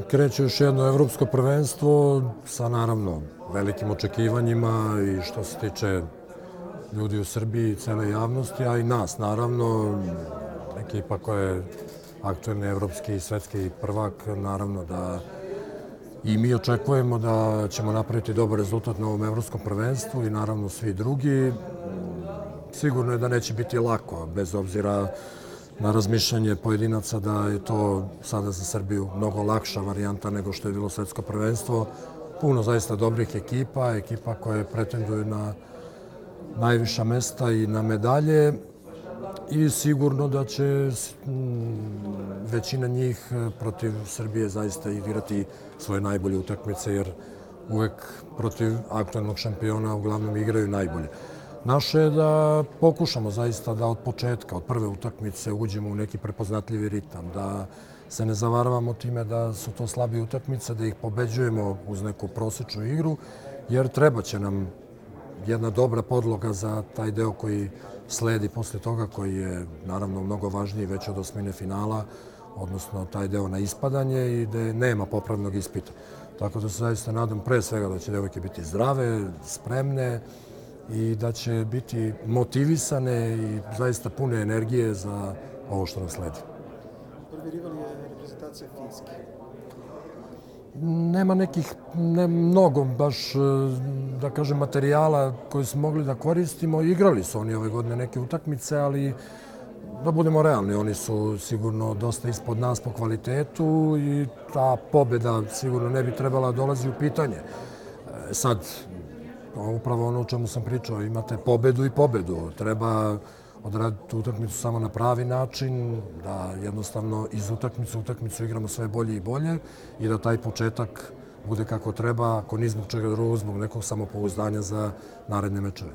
kreće još jedno evropsko prvenstvo sa naravno velikim očekivanjima i što se tiče ljudi u Srbiji, cele javnosti, a i nas naravno. Ekipa koja je aktuelni evropski i svetski prvak, naravno da i mi očekujemo da ćemo napraviti dobar rezultat na ovom evropskom prvenstvu i naravno svi drugi. Sigurno je da neće biti lako, bez obzira na razmišljanje pojedinaca da je to sada za Srbiju mnogo lakša varijanta nego što je bilo svetsko prvenstvo. Puno zaista dobrih ekipa koje pretenduju na najviša mesta i na medalje i sigurno da će većina njih protiv Srbije zaista igrati svoje najbolje utakmice, jer uvek protiv aktuelnog šampiona uglavnom igraju najbolje. Naše je da pokušamo zaista da od početka, od prve utakmice uđemo u neki prepoznatljivi ritam, da se ne zavaravamo time da su to slabe utakmice, da ih pobeđujemo uz neku prosečnu igru, jer treba će nam jedna dobra podloga za taj deo koji sledi posle toga, koji je naravno mnogo važniji već od osmine finala, odnosno taj deo na ispadanje i gde nema popravnog ispita. Tako da se zaista nadam pre svega da će devojke biti zdrave, spremne i da će biti motivisane i zaista pune energije za ovo što nam sledi. Prvi rival je reprezentacija Finjske. Nema nekih, ne mnogo baš, da kažem, materijala koje smo mogli da koristimo. Igrali su oni ove godine neke utakmice, ali da budemo realni, oni su sigurno dosta ispod nas po kvalitetu i ta pobjeda sigurno ne bi trebala dolazi u pitanje. Sad, upravo ono o čemu sam pričao, imate pobedu i pobedu. Treba odraditi tu utakmicu samo na pravi način, da jednostavno iz utakmice u utakmicu igramo sve bolje i bolje i da taj početak bude kako treba, ako ni zbog čega drugog, zbog nekog samopouzdanja za naredne mečeve.